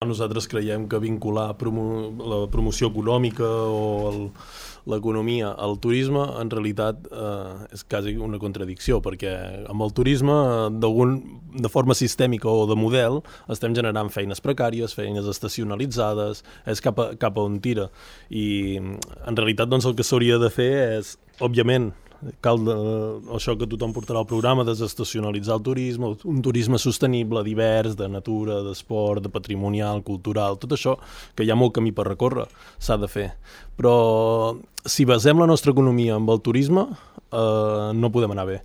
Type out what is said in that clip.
Nosaltres creiem que vincular la promoció econòmica o l'economia al turisme en realitat és quasi una contradicció, perquè amb el turisme de forma sistèmica o de model estem generant feines precàries, feines estacionalitzades, és cap a on tira. I en realitat doncs, el que s'hauria de fer és, òbviament, cal això que tothom portarà al programa, desestacionalitzar el turisme, un turisme sostenible, divers, de natura, d'esport, de patrimonial, cultural, tot això, que hi ha molt camí per recórrer, s'ha de fer. Però si basem la nostra economia en el turisme, no podem anar bé.